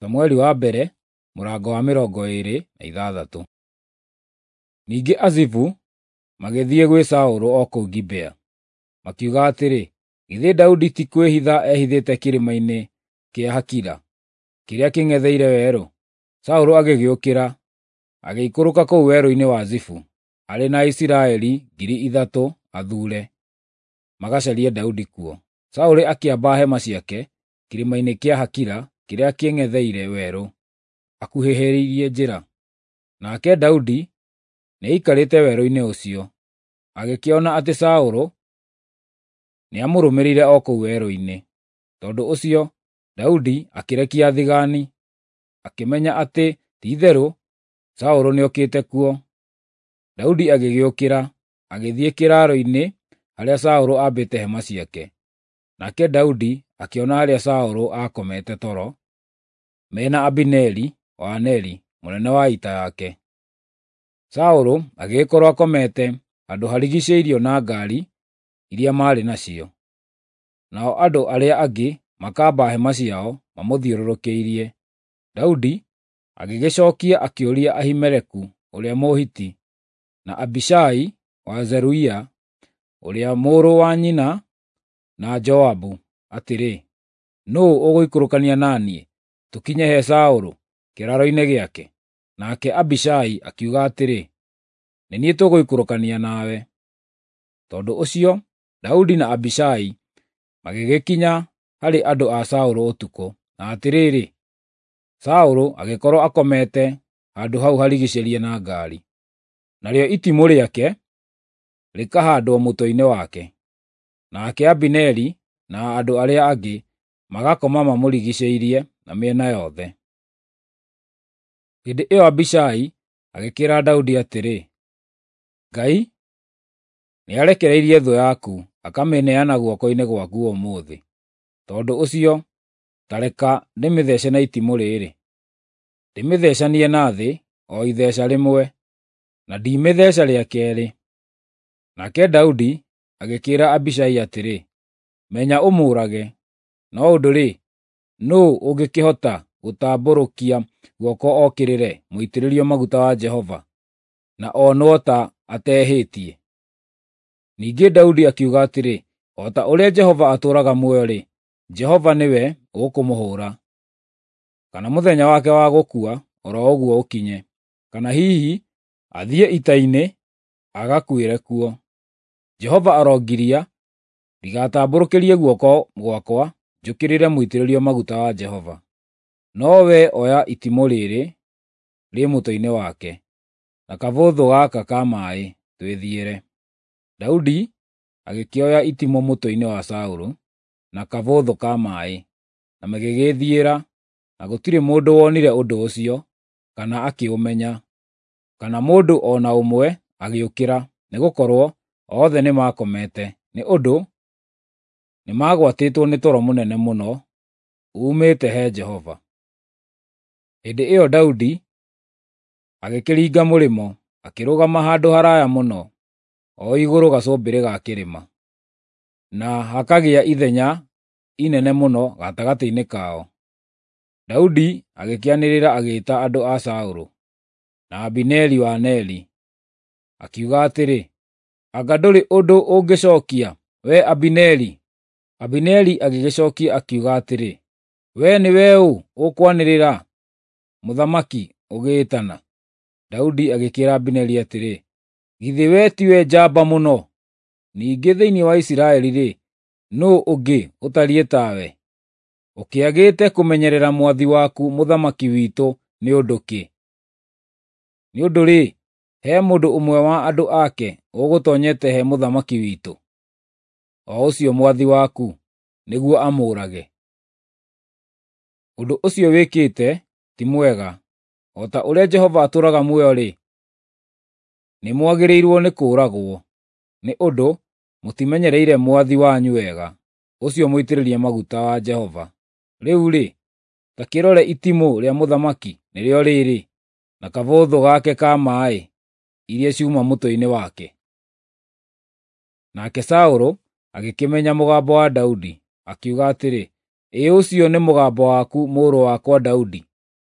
Samueli wa mbere mũrango wa 26. Ningĩ Azifu magĩthiĩ gwĩ Saũlũ o kũu Gibea, makiuga atĩrĩ, “Githĩ Daudi ti kwĩhitha ehithĩte kĩrĩma-inĩ kĩa Hakila, kĩrĩa kĩng'etheire werũ?” Saũlũ agĩgĩũkĩra, agĩikũrũka kũu werũ-inĩ wa Zifu, arĩ na Aisiraeli 3,000 athuure, magacarie Daudi kuo. Saũlũ akĩamba hema ciake kĩrĩma-inĩ kĩa Hakila kĩrĩa kĩng'etheire werũ, akuhĩhĩrĩirie njĩra. Nake Daudi nĩaikarĩte werũ-inĩ ũcio, agĩkĩona atĩ Saũlũ nĩamũrũmĩrĩire o kũu werũ-inĩ. Tondũ ũcio Daudi akĩrekia athigani, akĩmenya atĩ ti-itherũ Saũlũ nĩokĩte kuo. Daudi agĩgĩũkĩra, agĩthiĩ kĩraaro-inĩ harĩa Saũlũ aambĩte hema ciake. Nake Daudi akĩona harĩa Saũlũ aakomete toro, me na Abineri wa Neri, mũnene wa ita yake. Saũlũ agĩgĩkorwo akomete handũ harigiicĩirio na ngaari iria maarĩ nacio, nao andũ arĩa angĩ makamba hema ciao mamũthiũrũrũkĩirie. Daudi agĩgĩcookia akĩũria Ahimeleku ũrĩa Mũhiti, na Abishai wa Zeruia ũrĩa mũrũ wa nyina na Joabu atĩrĩ, “Nũũ ũgũikũrũkania na niĩ, tũkinye he Saũlũ kĩraaro-inĩ gĩake?” Nake Abishai akiuga atĩrĩ, “Nĩ niĩ tũgũikũrũkania nawe.” Tondũ ũcio Daudi na Abishai magĩgĩkinya harĩ andũ a Saũlũ ũtukũ, na atĩrĩrĩ, Saũlũ agĩkorwo akomete handũ hau harigiicĩirie na ngaari, narĩo itimũ rĩake rĩkahaandwo mũtwe-inĩ wake. Nake Abineri na andũ arĩa angĩ magakoma mamũrigiicĩirie na mĩena yothe. Hĩndĩ ĩyo Abishai agĩkĩĩra Daudi atĩrĩ, “Ngai nĩarekereirie thũ yaku akamĩneana guoko-inĩ gwaku ũmũthĩ. Tondũ ũcio ta reka ndĩmĩthece na itimũ rĩrĩ, ndĩmĩthecanie na thĩ o itheca rĩmwe, na ndimĩtheeca rĩa keerĩ.” Nake Daudi agĩkĩĩra Abishai atĩrĩ, “Menya ũmũũrage! No ũndũ-rĩ, nũũ ũngĩkĩhota gũtambũrũkia guoko okĩrĩre mũitĩrĩrio maguta wa Jehova, na onwo ta atehĩtie?” Ningĩ Daudi akiuga atĩrĩ, “O ta ũrĩa Jehova atũũraga muoyo-rĩ, Jehova nĩwe ũkũmũhũũra, kana mũthenya wake wa gũkua o ro ũguo ũkinye, kana hihi athiĩ ita-inĩ agakuĩre kuo. Jehova arongiria ndigatambũrũkĩrie guoko gwakwa njũkĩrĩre mũitĩrĩrio maguta wa Jehova. No wee oya itimũ rĩrĩ rĩ mũtwe-inĩ wake, na kabũthũ gaka ka maaĩ, twĩthiĩre.” Daudi agĩkĩoya itimũ mũtwe-inĩ wa Saũlũ, na kabũthũ ka maaĩ, na magĩgĩĩthiĩra, na gũtirĩ mũndũ wonire ũndũ ũcio, kana akĩũmenya, kana mũndũ o na ũmwe agĩũkĩra, nĩgũkorwo othe nĩmakomete, nĩ ũndũ nĩmagwatĩtwo nĩ toro mũnene mũno uumĩte he Jehova. Hĩndĩ ĩyo Daudi agĩkĩringa mũrĩmo, akĩrũgama handũ haraaya mũno, o igũrũ gacũmbĩrĩ ga kĩrĩma, na hakagĩa ithenya inene mũno gatagatĩ-inĩ kao. Daudi agĩkĩanĩrĩra agĩĩta andũ a Saũlũ na Abineri wa Neri, akiuga atĩrĩ, “Anga ndũrĩ ũndũ ũngĩcookia, wee Abineri?” Abineri agĩgĩcookia akiuga atĩrĩ, “Wee nĩwe ũ ũkwanĩrĩra, mũthamaki, ũgĩĩtana?” Daudi agĩkĩĩra Abineri atĩrĩ, “Githĩ wee tiwe njamba mũno? Ningĩ thĩinĩ wa Isiraeli-rĩ, nũũ ũngĩ ũtariĩ tawe? Ũkĩagĩte kũmenyerera mwathi waku mũthamaki witũ nĩ ũndũ kĩ? Nĩ ũndũ-rĩ, he mũndũ ũmwe wa andũ ake ũgũtoonyete he mũthamaki witũ, o ũcio mwathi waku, nĩguo amũũrage. Ũndũ ũcio wĩkĩte ti mwega. O ta ũrĩa Jehova atũũraga muoyo-rĩ, nĩmwagĩrĩirwo nĩ kũũragwo, nĩ ũndũ mũtimenyereire mwathi wanyu wega, ũcio mũitĩrĩrie maguta wa Jehova. Rĩu-rĩ, ta kĩrore itimũ rĩa mũthamaki nĩrĩo rĩrĩ, na kabũthũ gake ka maaĩ iria ciuma mũtwe-inĩ wake.” Nake Saũlũ agĩkĩmenya mũgambo wa Daudi, akiuga atĩrĩ, “Ĩ ũcio nĩ mũgambo waku, mũrũ wakwa Daudi?”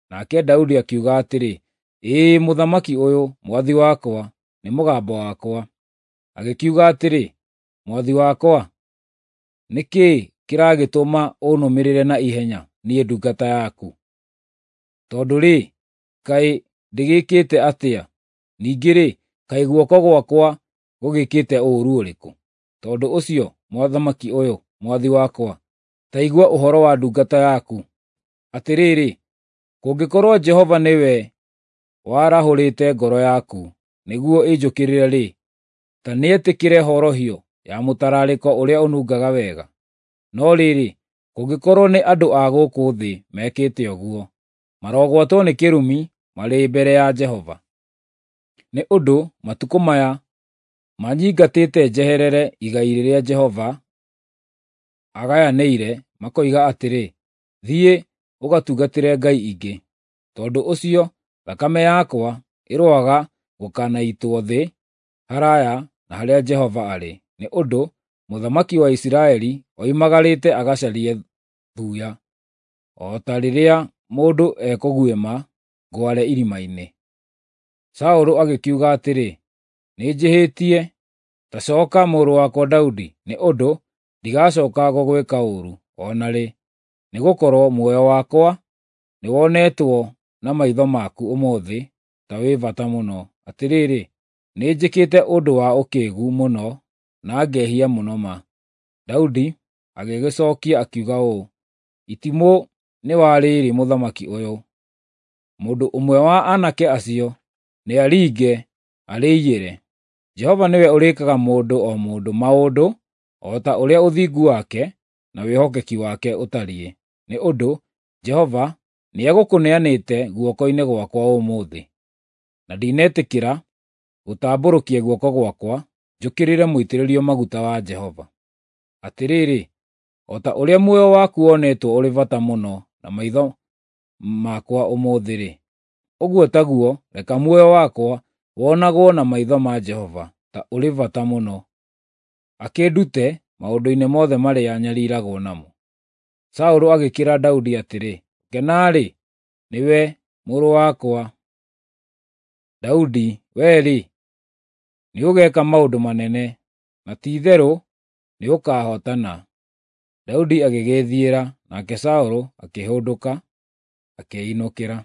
Nake Daudi akiuga atĩrĩ, “Ĩĩ, mũthamaki ũyũ, mwathi wakwa, nĩ mũgambo wakwa.” Agĩkiuga atĩrĩ, “Mwathi wakwa, nĩ kĩĩ kĩragĩtũma ũnũmĩrĩre na ihenya, niĩ ndungata yaku? Tondũ-rĩ, kaĩ ndĩgĩkĩte atĩa? Ningĩ-rĩ, kaĩ guoko gwakwa gũgĩkĩte ũũru ũrĩkũ? Tondũ ũcio, mũthamaki ũyũ, mwathi wakwa, ta igua ũhoro wa ndungata yaku. Atĩrĩrĩ, kũngĩkorwo Jehova nĩwe warahũrĩte ngoro yaku nĩguo ĩnjũkĩrĩre-rĩ, ta nĩetĩkĩre horohio ya mũtararĩko ũrĩa ũnungaga wega. No rĩrĩ, kũngĩkorwo nĩ andũ a gũkũ thĩ mekĩte ũguo, marogwatwo nĩ kĩrumi marĩ mbere ya Jehova. Nĩ ũndũ matukũ maya manyingatĩte njeherere igai rĩrĩa Jehova agayanĩire, makoiga atĩrĩ, ‘Thiĩ, ũgatungatĩre ngai ingĩ.’ Tondũ ũcio thakame yakwa ĩroaga gũkanaitwo thĩ haraaya na harĩa Jehova arĩ, nĩ ũndũ mũthamaki wa Isiraeli oimagarĩte agacarie thuya, o ta rĩrĩa mũndũ ekũguĩma ngware irima-inĩ.” Saũlũ agĩkiuga atĩrĩ, “Nĩnjĩhĩtie. Ta cooka, mũrũ wakwa Daudi, nĩ ũndũ ndigacooka gũgwĩka ũũru o na rĩ, nĩgũkorwo muoyo wakwa nĩwonetwo na maitho maku ũmũthĩ ta wĩ bata mũno. Atĩrĩrĩ, nĩnjĩkĩte ũndũ wa ũkĩĩgu mũno na ngehia mũno ma.” Daudi agĩgĩcookia akiuga ũũ, “Itimũ nĩ wa rĩrĩ mũthamaki ũyũ! Mũndũ ũmwe wa aanake acio nĩaringe arĩiyĩre. Jehova nĩwe ũrĩĩkaga mũndũ o mũndũ maũndũ o ta ũrĩa ũthingu wake na wĩhokeki wake ũtariĩ, nĩ ũndũ Jehova nĩegũkũneanĩte guoko-inĩ gwakwa ũmũthĩ, na ndinetĩkĩra gũtambũrũkia guoko gwakwa njũkĩrĩre mũitĩrĩrio maguta wa Jehova. Atĩrĩrĩ, o ta ũrĩa muoyo waku wonetwo ũrĩ bata mũno na maitho makwa ũmũthĩ-rĩ, ũguo taguo reka muoyo wakwa wonagwo na maitho ma Jehova ta ũrĩ bata mũno, akĩndute maũndũ-inĩ mothe marĩa nyariiragwo namo.” Saũlũ agĩkĩĩra Daudi atĩrĩ, “Gũkena-rĩ, nĩwe, mũrũ wakwa Daudi, wee-rĩ, nĩũgeeka maũndũ manene, na ti-itherũ nĩũkahootana.” Daudi agĩgĩĩthiĩra, nake Saũlũ akĩhũndũka, akĩĩinũkĩra.